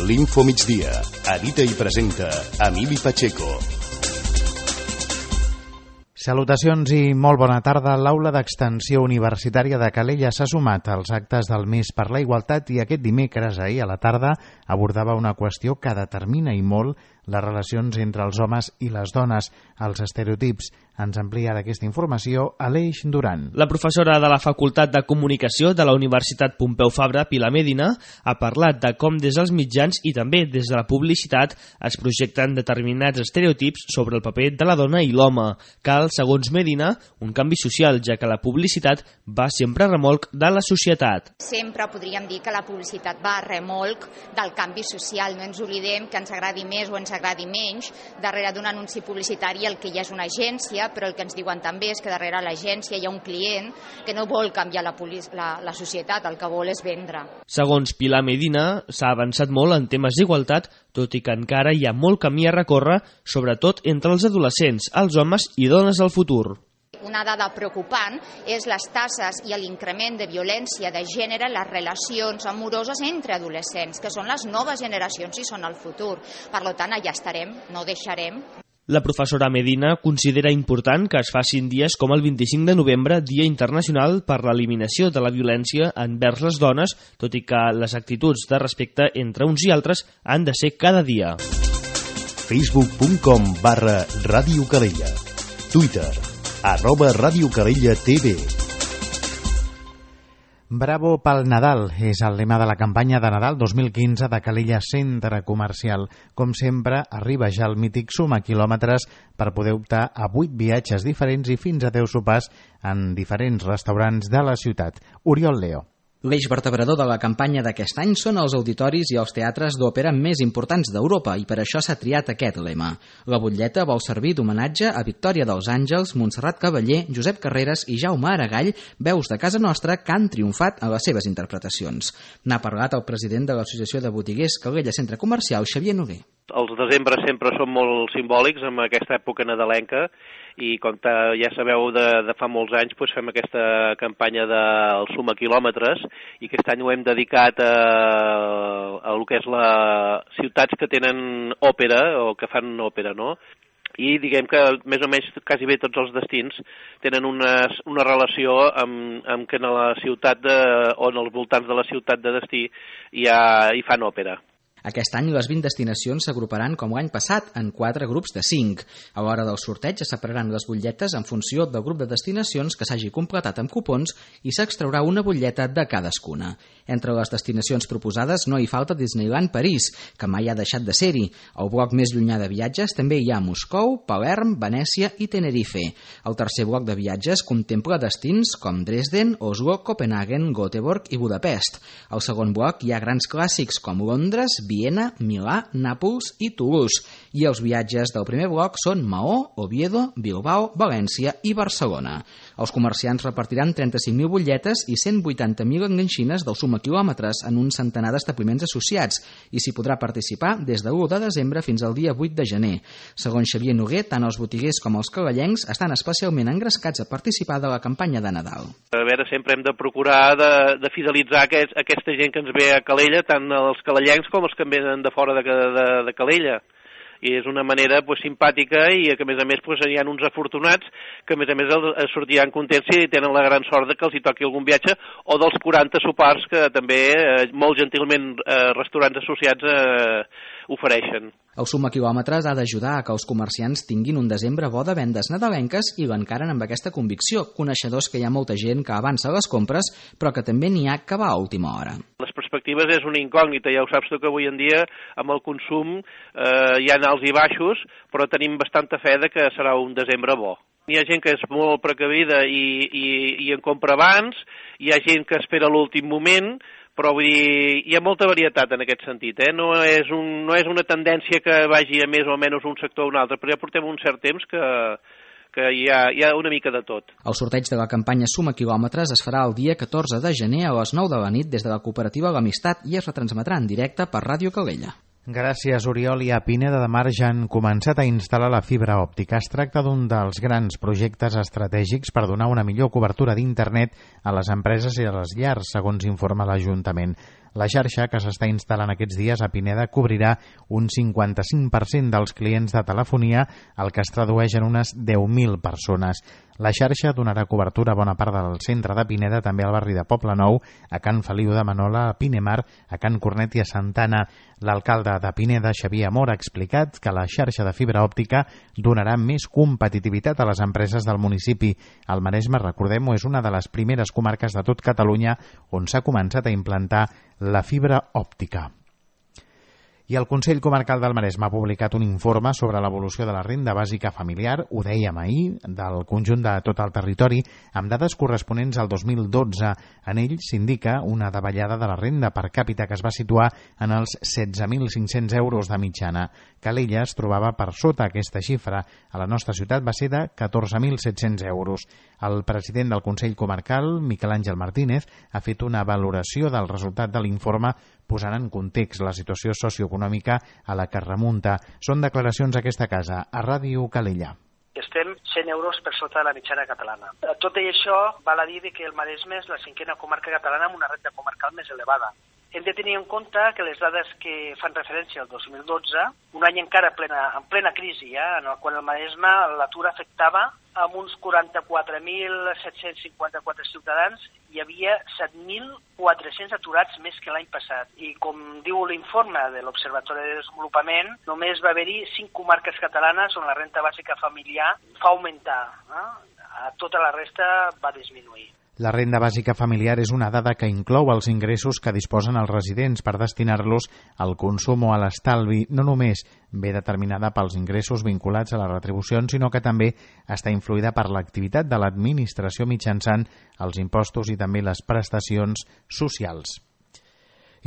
L'Info Migdia. Edita i presenta Emili Pacheco. Salutacions i molt bona tarda. L'Aula d'Extensió Universitària de Calella s'ha sumat als actes del Mes per la Igualtat i aquest dimecres, ahir a la tarda, abordava una qüestió que determina i molt les relacions entre els homes i les dones, els estereotips. Ens amplia d'aquesta informació Aleix Duran. La professora de la Facultat de Comunicació de la Universitat Pompeu Fabra, Pilar Medina, ha parlat de com des dels mitjans i també des de la publicitat es projecten determinats estereotips sobre el paper de la dona i l'home. Cal, segons Medina, un canvi social, ja que la publicitat va sempre a remolc de la societat. Sempre podríem dir que la publicitat va a remolc del canvi social. No ens oblidem que ens agradi més o ens agradi menys. Darrere d'un anunci publicitari el que hi ha és una agència, però el que ens diuen també és que darrere l'agència hi ha un client que no vol canviar la societat, el que vol és vendre. Segons Pilar Medina, s'ha avançat molt en temes d'igualtat, tot i que encara hi ha molt camí a recórrer, sobretot entre els adolescents, els homes i dones del futur. Una dada preocupant és les tasses i l'increment de violència de gènere en les relacions amoroses entre adolescents, que són les noves generacions i són el futur. Per tant, allà estarem, no deixarem. La professora Medina considera important que es facin dies com el 25 de novembre, Dia Internacional per l'Eliminació de la Violència envers les dones, tot i que les actituds de respecte entre uns i altres han de ser cada dia. Facebook.com/Ràdio Calella. Twitter @Ràdio Calella TV. Bravo pel Nadal és el lema de la campanya de Nadal 2015 de Calella Centre Comercial. Com sempre, arriba ja el mític suma quilòmetres per poder optar a 8 viatges diferents i fins a 10 sopars en diferents restaurants de la ciutat. Oriol Leo. L'eix vertebrador de la campanya d'aquest any són els auditoris i els teatres d'òpera més importants d'Europa i per això s'ha triat aquest lema. La butlleta vol servir d'homenatge a Victòria dels Àngels, Montserrat Cavaller, Josep Carreras i Jaume Aragall, veus de casa nostra que han triomfat en les seves interpretacions. N'ha parlat el president de l'Associació de Botiguers Calella Centre Comercial, Xavier Noguer. Els desembre sempre són molt simbòlics amb aquesta època nadalenca i com ja sabeu de fa molts anys fem aquesta campanya del suma quilòmetres i aquest any ho hem dedicat a el que és les ciutats que tenen òpera o que fan òpera, no? I diguem que més o menys quasi bé tots els destins tenen una relació amb que en la ciutat o en els voltants de la ciutat de destí hi fan òpera. Aquest any les 20 destinacions s'agruparan com l'any passat en 4 grups de 5. A l'hora del sorteig es separaran les butlletes en funció del grup de destinacions que s'hagi completat amb cupons i s'extraurà una butlleta de cadascuna. Entre les destinacions proposades no hi falta Disneyland París, que mai ha deixat de ser-hi. Al bloc més llunyà de viatges també hi ha Moscou, Palerm, Venècia i Tenerife. El tercer bloc de viatges contempla destins com Dresden, Oslo, Copenhagen, Göteborg i Budapest. Al segon bloc hi ha grans clàssics com Londres, Viena, Milà, Nàpols i Toulouse. I els viatges del primer bloc són Maó, Oviedo, Bilbao, València i Barcelona. Els comerciants repartiran 35.000 butlletes i 180.000 enganxines del suma quilòmetres en un centenar d'establiments associats i s'hi podrà participar des de l'1 de desembre fins al dia 8 de gener. Segons Xavier Noguer, tant els botiguers com els calellencs estan especialment engrescats a participar de la campanya de Nadal. A veure, sempre hem de procurar de fidelitzar aquesta gent que ens ve a Calella, tant els calellencs com els que venen de fora de Calella. I és una manera simpàtica i que a més hi ha uns afortunats que a més sortiran contents i tenen la gran sort que els hi toqui algun viatge o dels 40 sopars que també molt gentilment restaurants associats ofereixen. El suma quilòmetres ha d'ajudar a que els comerciants tinguin un desembre bo de vendes nadalenques i l'encaren amb aquesta convicció, coneixedors que hi ha molta gent que avança les compres però que també n'hi ha que va a última hora. Les perspectives és una incògnita, ja ho saps tu que avui en dia amb el consum hi ha alts i baixos, però tenim bastanta fe de que serà un desembre bo. Hi ha gent que és molt precavida i en compra abans, hi ha gent que espera l'últim moment, però vull dir, hi ha molta varietat en aquest sentit, No és una tendència que vagi a més o menys un sector o un altre, però ja portem un cert temps que hi ha una mica de tot. El sorteig de la campanya Suma Quilòmetres es farà el dia 14 de gener a les 9 de la nit des de la cooperativa L'Amistat i es retransmetrà en directe per Ràdio Calella. Gràcies, Oriol. I a Pineda de Mar ja han començat a instal·lar la fibra òptica. Es tracta d'un dels grans projectes estratègics per donar una millor cobertura d'internet a les empreses i a les llars, segons informa l'Ajuntament. La xarxa, que s'està instal·lant aquests dies a Pineda, cobrirà un 55% dels clients de telefonia, el que es tradueix en unes 10.000 persones. La xarxa donarà cobertura a bona part del centre de Pineda, també al barri de Poblenou, a Can Feliu de Manola, a Pinemar, a Can Cornet i a Santana. L'alcalde de Pineda, Xavier Amor, ha explicat que la xarxa de fibra òptica donarà més competitivitat a les empreses del municipi. El Maresme, recordem-ho, és una de les primeres comarques de tot Catalunya on s'ha començat a implantar la fibra òptica. I el Consell Comarcal del Maresme ha publicat un informe sobre l'evolució de la renda bàsica familiar, ho dèiem ahir, del conjunt de tot el territori, amb dades corresponents al 2012. En ell s'indica una davallada de la renda per càpita que es va situar en els 16.500 euros de mitjana. Calella es trobava per sota aquesta xifra. A la nostra ciutat va ser de 14.700 euros. El president del Consell Comarcal, Miquel Àngel Martínez, ha fet una valoració del resultat de l'informe posant en context la situació socioeconòmica a la que es remunta. Són declaracions a aquesta casa, a Ràdio Calella. Estem 100 euros per sota de la mitjana catalana. Tot i això, val a dir que el Maresme és la 5a comarca catalana amb una renda comarcal més elevada. Hem de tenir en compte que les dades que fan referència al 2012, un any encara en plena crisi, en el qual el Maresme l'atur afectava amb uns 44.754 ciutadans, hi havia 7.400 aturats més que l'any passat. I com diu l'informe de l'Observatori de Desenvolupament, només va haver-hi 5 comarques catalanes on la renda bàsica familiar va augmentar. A tota la resta va disminuir. La renda bàsica familiar és una dada que inclou els ingressos que disposen els residents per destinar-los al consum o a l'estalvi. No només ve determinada pels ingressos vinculats a les retribucions, sinó que també està influïda per l'activitat de l'administració mitjançant els impostos i també les prestacions socials.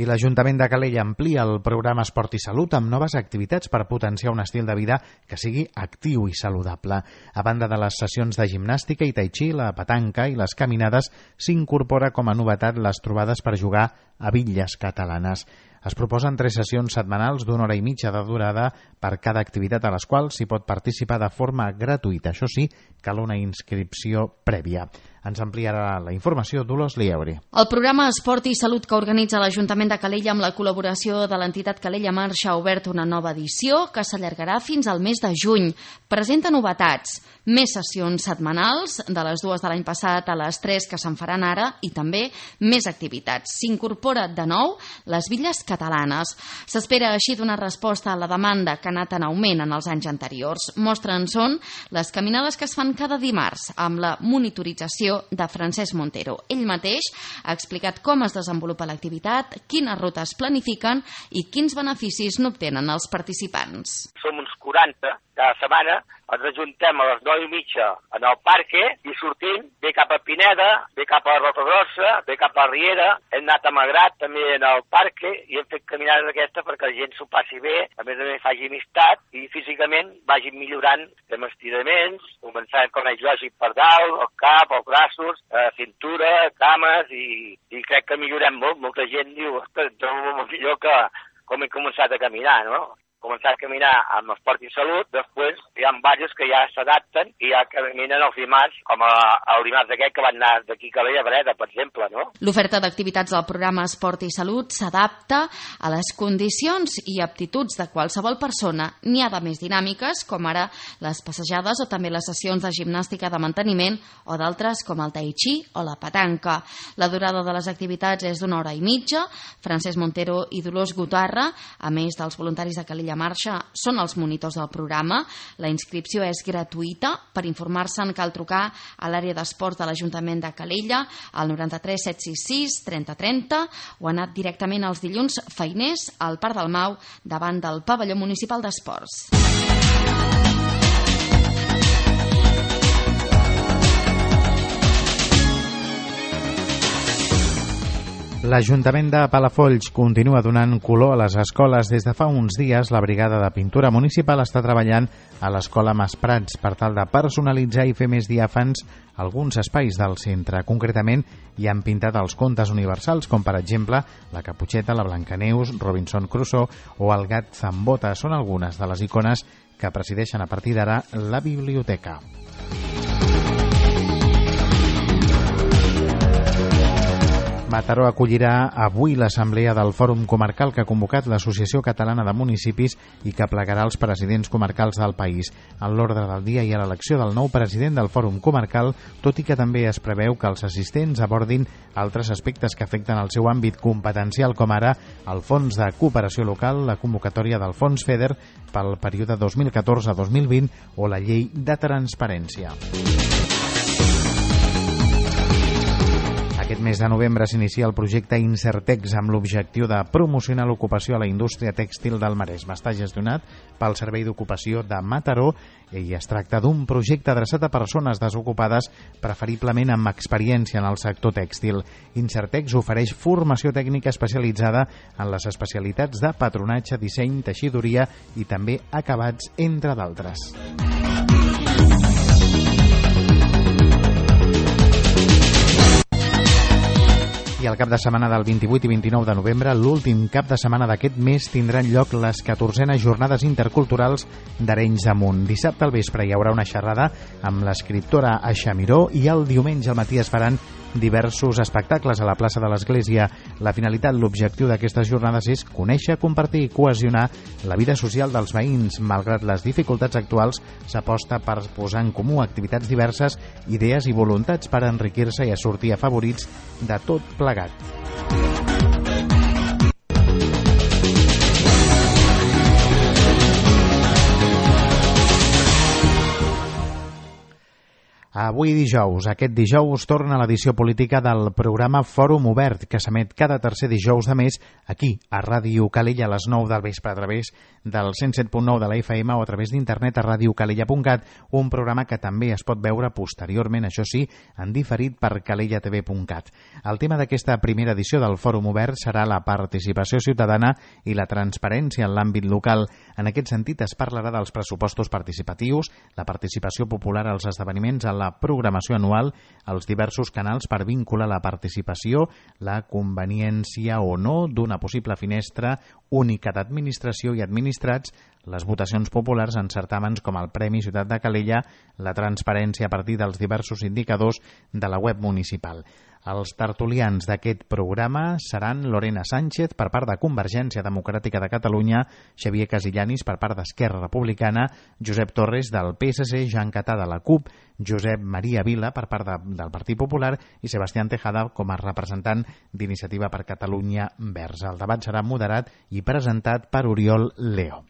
I l'Ajuntament de Calella amplia el programa Esport i Salut amb noves activitats per potenciar un estil de vida que sigui actiu i saludable. A banda de les sessions de gimnàstica i tai chi, la petanca i les caminades, s'incorpora com a novetat les trobades per jugar a bitlles catalanes. Es proposen 3 sessions setmanals d'1 hora i mitja de durada per cada activitat a les quals s'hi pot participar de forma gratuïta. Això sí, cal una inscripció prèvia. Ens ampliarà la informació Dolors Lieure. El programa Esport i Salut que organitza l'Ajuntament de Calella amb la col·laboració de l'entitat Calella Marxa ha obert una nova edició que s'allargarà fins al mes de juny. Presenta novetats, més sessions setmanals, de les 2 de l'any passat a les 3 que se'n faran ara, i també més activitats. S'incorpora de nou les bitlles catalanes. S'espera així donar resposta a la demanda que ha anat en augment en els anys anteriors. Mostra en són les caminades que es fan cada dimarts amb la monitorització de Francesc Montero. Ell mateix ha explicat com es desenvolupa l'activitat, quines rutes planifiquen i quins beneficis n'obtenen els participants. Som uns 40 cada setmana, ens ajuntem a les 9:30 en el parque i sortim, ve cap a Pineda, ve cap a Rotogrossa, ve cap a Riera, hem anat a Magrat també en el parque i hem fet caminades d'aquesta perquè la gent s'ho passi bé, a més faci amistat i físicament vagin millorant, fem estiraments, començant com és lògic per dalt, el cap, els braços, cintura, cames i crec que millorem molt. Molta gent diu, ostres, trobo molt millor que com he començat a caminar, no? Començar a caminar amb Esport i Salut, després hi ha diversos que ja s'adapten i ja caminen els dimarts, com el dimarts d'aquest que van anar d'aquí a Calella a Breda, per exemple, no? L'oferta d'activitats del programa Esport i Salut s'adapta a les condicions i aptituds de qualsevol persona. N'hi ha de més dinàmiques, com ara les passejades o també les sessions de gimnàstica de manteniment o d'altres com el tai chi o la petanca. La durada de les activitats és d'1 hora i mitja. Francesc Montero i Dolors Gutarra, a més dels voluntaris de Calella Marxa, són els monitors del programa. La inscripció és gratuïta. Per informar-se'n cal trucar a l'àrea d'esport de l'Ajuntament de Calella al 93 766 30 30 o anar directament els dilluns feiners al Parc del Mau davant del pavelló municipal d'esports. L'Ajuntament de Palafolls continua donant color a les escoles. Des de fa uns dies, la brigada de pintura municipal està treballant a l'escola Mas Prats per tal de personalitzar i fer més diàfans alguns espais del centre. Concretament, hi han pintat els contes universals, com per exemple la Caputxeta, la Blancaneus, Robinson Crusoe o el gat Zambota. Són algunes de les icones que presideixen a partir d'ara la biblioteca. Mataró acollirà avui l'assemblea del Fòrum Comarcal que ha convocat l'Associació Catalana de Municipis i que plegarà els presidents comarcals del país. En l'ordre del dia hi ha l'elecció del nou president del Fòrum Comarcal, tot i que també es preveu que els assistents abordin altres aspectes que afecten el seu àmbit competencial, com ara el Fons de Cooperació Local, la convocatòria del Fons FEDER pel període 2014-2020 o la llei de transparència. Aquest mes de novembre s'inicia el projecte Insertex amb l'objectiu de promocionar l'ocupació a la indústria tèxtil del Maresme. Està gestionat pel Servei d'Ocupació de Mataró i es tracta d'un projecte adreçat a persones desocupades, preferiblement amb experiència en el sector tèxtil. Insertex ofereix formació tècnica especialitzada en les especialitats de patronatge, disseny, teixidoria i també acabats, entre d'altres. I el cap de setmana del 28 i 29 de novembre, l'últim cap de setmana d'aquest mes, tindran lloc les 14enes jornades interculturals d'Arenys de Munt. Dissabte al vespre hi haurà una xerrada amb l'escriptora Aixa Miró i el diumenge al matí es faran diversos espectacles a la plaça de l'Església. La finalitat, l'objectiu d'aquestes jornades és conèixer, compartir i cohesionar la vida social dels veïns. Malgrat les dificultats actuals, s'aposta per posar en comú activitats diverses, idees i voluntats per enriquir-se i a sortir afavorits de tot plegat. Avui dijous, aquest dijous, torna l'edició política del programa Fòrum Obert, que s'emet cada tercer dijous de mes aquí, a Ràdio Calella, a les 9 del vespre, a través del 107.9 de la FM o a través d'internet a radiocalella.cat, un programa que també es pot veure posteriorment, això sí, en diferit per calellatv.cat. El tema d'aquesta primera edició del Fòrum Obert serà la participació ciutadana i la transparència en l'àmbit local. En aquest sentit, es parlarà dels pressupostos participatius, la participació popular als esdeveniments, a la programació anual, els diversos canals per vincular la participació, la conveniència o no d'una possible finestra única d'administració i administrats, les votacions populars en certàmens com el Premi Ciutat de Calella, la transparència a partir dels diversos indicadors de la web municipal. Els tertulians d'aquest programa seran Lorena Sánchez per part de Convergència Democràtica de Catalunya, Xavier Casillanis per part d'Esquerra Republicana, Josep Torres del PSC, Jean Catà de la CUP, Josep Maria Vila per part del Partit Popular i Sebastián Tejada com a representant d'Iniciativa per Catalunya Verds. El debat serà moderat i presentat per Oriol Leo.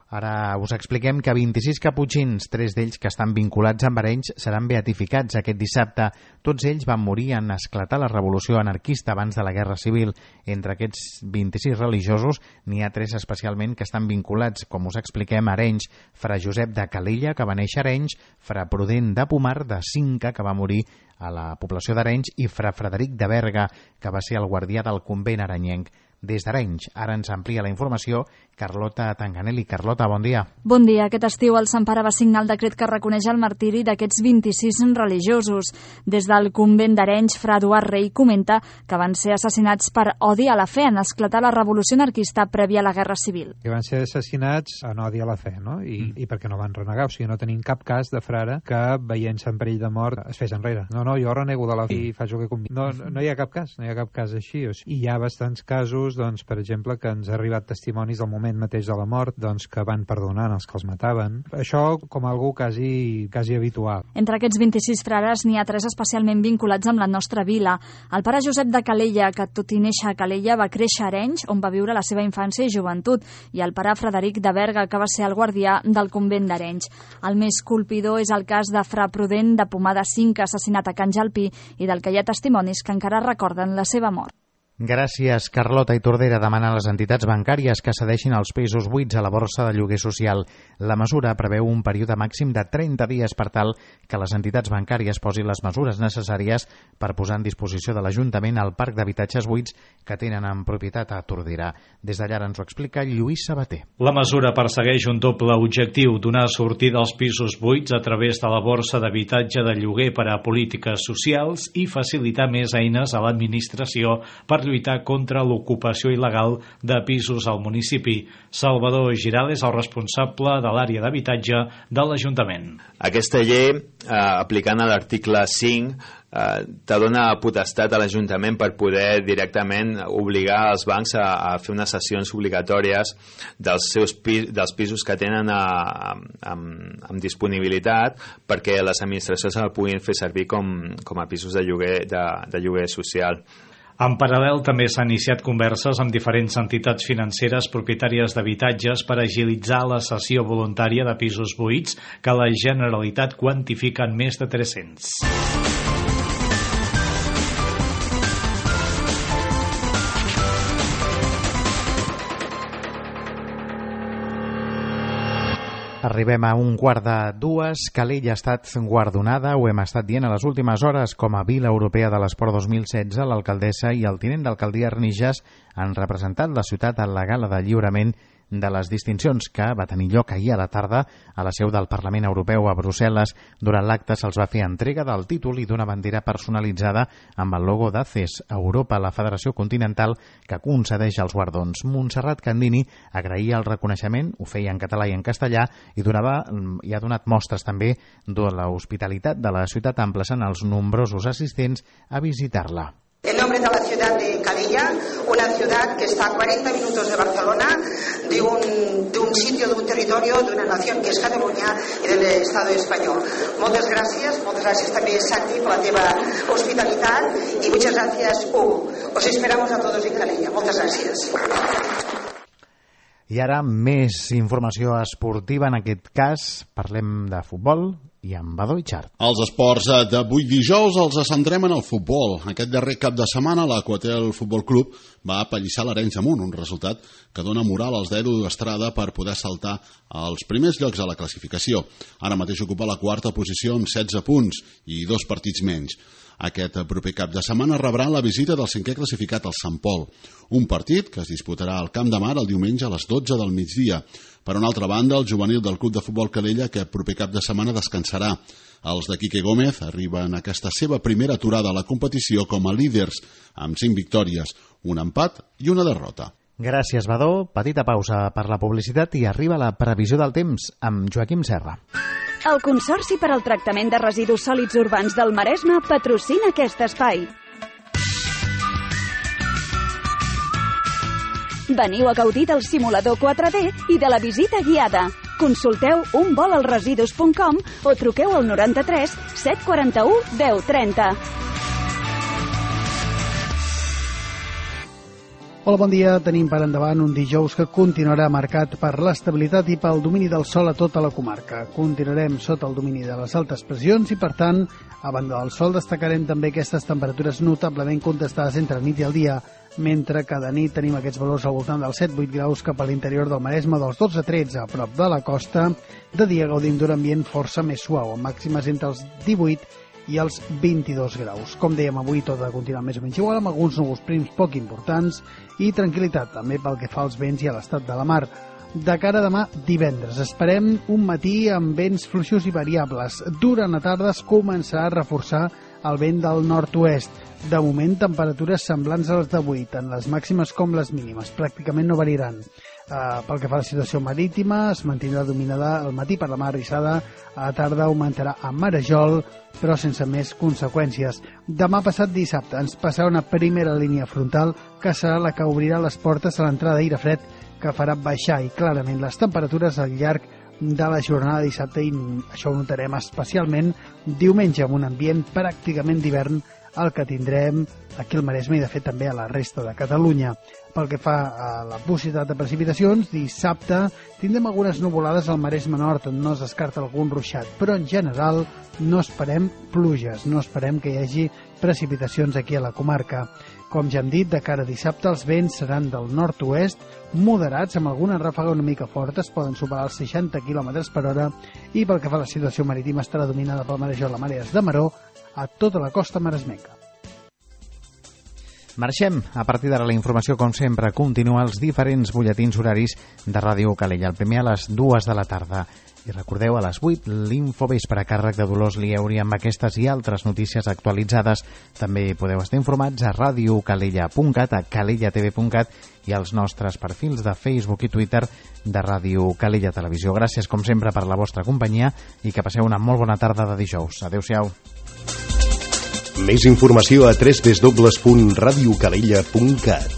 Ara us expliquem que 26 caputxins, 3 d'ells que estan vinculats amb Arenys, seran beatificats aquest dissabte. Tots ells van morir en esclatar la revolució anarquista abans de la Guerra Civil. Entre aquests 26 religiosos n'hi ha 3 especialment que estan vinculats, com us expliquem, a Arenys. Fra Josep de Calella, que va néixer a Arenys, Fra Prudent de Pomar, de Cinca, que va morir a la població d'Arenys, i Fra Frederic de Berga, que va ser el guardià del convent arenyenc. Des d'Arenys, ara ens amplia la informació Carlota Tanganelli. Carlota, bon dia. Bon dia. Aquest estiu el Sant Pare va signar el decret que reconeix el martiri d'aquests 26 religiosos. Des del convent d'Arenys, Fra Eduard Rei comenta que van ser assassinats per odi a la fe en esclatar la revolució anarquista prèvia a la Guerra Civil. Que van ser assassinats en odi a la fe, no? I perquè no van renegar, o sigui, no tenim cap cas de frare que, veient-se en perill de mort, es fes enrere. No, jo renego de la fe i faig el que conviene. No hi ha cap cas així. O sigui, hi ha bastants casos, doncs, per exemple, que ens ha arribat testimonis del moment mateix de la mort, doncs, que van perdonant els que els mataven. Això com algú quasi habitual. Entre aquests 26 frares n'hi ha 3 especialment vinculats amb la nostra vila. El pare Josep de Calella, que tot i néixer a Calella va créixer a Arenys, on va viure la seva infància i joventut, i el pare Frederic de Berga, que va ser el guardià del convent d'Arenys. El més colpidor és el cas de Fra Prudent de Pomar de Cinca, assassinat a Can Jalpí, i del que hi ha testimonis que encara recorden la seva mort. Gràcies, Carlota. I Tordera demana a les entitats bancàries que cedeixin els pisos buits a la borsa de lloguer social. La mesura preveu un període màxim de 30 dies per tal que les entitats bancàries posin les mesures necessàries per posar en disposició de l'Ajuntament el parc d'habitatges buits que tenen en propietat a Tordera. Des d'allà ens ho explica Lluís Sabater. La mesura persegueix un doble objectiu: donar sortida als pisos buits a través de la borsa d'habitatge de lloguer per a polítiques socials i facilitar més eines a l'administració per lluitar contra l'ocupació il·legal de pisos al municipi. Salvador Giral és el responsable de l'àrea d'habitatge de l'Ajuntament. Aquesta llei, aplicant a l'article 5, te dona potestat a l'Ajuntament per poder directament obligar els bancs a fer unes cessions obligatòries dels pisos que tenen amb disponibilitat, perquè les administracions el puguin fer servir com a pisos de lloguer social. En paral·lel, també s'han iniciat converses amb diferents entitats financeres propietàries d'habitatges per agilitzar la cessió voluntària de pisos buits que la Generalitat quantifica en més de 300. Arribem a 1:45. Calella ha estat guardonada, ho hem estat dient a les últimes hores, com a Vila Europea de l'Esport 2016. L'alcaldessa i el tinent d'alcaldia Arnijas han representat la ciutat a la gala de lliurament de les distincions que va tenir lloc ahir a la tarda a la seu del Parlament Europeu a Brussel·les. Durant l'acte se'ls va fer entrega del títol i d'una bandera personalitzada amb el logo d'ACES Europa, la Federació Continental que concedeix els guardons. Montserrat Candini agraïa el reconeixement, ho feia en català i en castellà, i ha donat mostres també de l'hospitalitat de la ciutat, emplaçant els nombrosos assistents a visitar-la. En nombre de la ciudad de Calella, una ciudad que está a 40 minutos de Barcelona, de un sitio, de un territorio, de una nación que es Cataluña y del Estado español. Moltes gràcies també, Santi, per la teva hospitalitat i muchas gracias, Hugo. Os esperamos a todos en Calella. Moltes gràcies. I ara més informació esportiva, en aquest cas parlem de futbol i amb Badó i Xart. Els esports d'avui dijous els centrem en el futbol. Aquest darrer cap de setmana l'Aquatel Futbol Club va apallissar l'Arenys de Munt, un resultat que dona moral als d'Edu Estrada per poder saltar als primers llocs a la classificació. Ara mateix ocupa la quarta posició amb 16 punts i 2 partits menys. Aquest proper cap de setmana rebrà la visita del 5è classificat, el Sant Pol, un partit que es disputarà al Camp de Mar el diumenge a les 12 del migdia. Per una altra banda, el juvenil del Club de Futbol Calella aquest proper cap de setmana descansarà. Els de Quique Gómez arriben a aquesta seva primera aturada a la competició com a líders, amb 5 victòries, un empat i una derrota. Gràcies, Badó. Petita pausa per la publicitat i arriba la previsió del temps amb Joaquim Serra. El Consorci per al Tractament de Residus Sòlids Urbans del Maresme patrocina aquest espai. Veniu a gaudir del simulador 4D i de la visita guiada. Consulteu unvolalresidus.com o truqueu al 93 741 1030. Hola, bon dia. Tenim per endavant un dijous que continuarà marcat per l'estabilitat i pel domini del sol a tota la comarca. Continuarem sota el domini de les altes pressions i, per tant, a banda del sol destacarem també aquestes temperatures notablement contestades entre nit i el dia, mentre que de nit tenim aquests valors al voltant dels 7-8 graus cap a l'interior del Maresme, dels 12-13 a prop de la costa. De dia gaudim d'un ambient força més suau, amb màximes entre els 18 i els 22 graus. Com dèiem, avui tot ha de continuar més o menys igual, amb alguns núvols prims poc importants i tranquil·litat també pel que fa als vents i a l'estat de la mar. De cara a demà divendres esperem un matí amb vents fluixos i variables. Durant la tarda es començarà a reforçar el vent del nord-oest. De moment, temperatures semblants a les d'avui, tant les màximes com les mínimes. Pràcticament no variaran. Pel que fa a la situació marítima, es mantindrà dominada al matí per la mar Rissada, a la tarda augmentarà a marejol, però sense més conseqüències. Demà passat dissabte ens passarà una primera línia frontal que serà la que obrirà les portes a l'entrada d'aire fred, que farà baixar i clarament les temperatures al llarg de la jornada de dissabte, i això ho notarem especialment diumenge, amb un ambient pràcticament d'hivern el que tindrem aquí al Maresme i de fet també a la resta de Catalunya. Pel que fa a la possibilitat de precipitacions, dissabte tindrem algunes nuvolades al Maresme Nord, on no es descarta algun ruixat, però en general no esperem pluges, no esperem que hi hagi precipitacions aquí a la comarca. Com ja hem dit, de cara a dissabte els vents seran del nord-oest, moderats, amb alguna ràfaga una mica fortes, poden superar els 60 km per hora, i pel que fa a la situació marítima estarà dominada pel marejol a marees de maró a tota la costa maresmenca. Marxem. A partir d'ara la informació, com sempre, continua als diferents butlletins horaris de Ràdio Calella. El primer a les 2 de la tarda. I recordeu, a les 8, l'Infovespre a càrrec de Dolors Lieuri amb aquestes i altres notícies actualitzades. També podeu estar informats a radiocalella.cat, a calellatv.cat i als nostres perfils de Facebook i Twitter de Ràdio Calella Televisió. Gràcies, com sempre, per la vostra companyia i que passeu una molt bona tarda de dijous. Adéu-siau. Més informació a www.radiocalella.cat.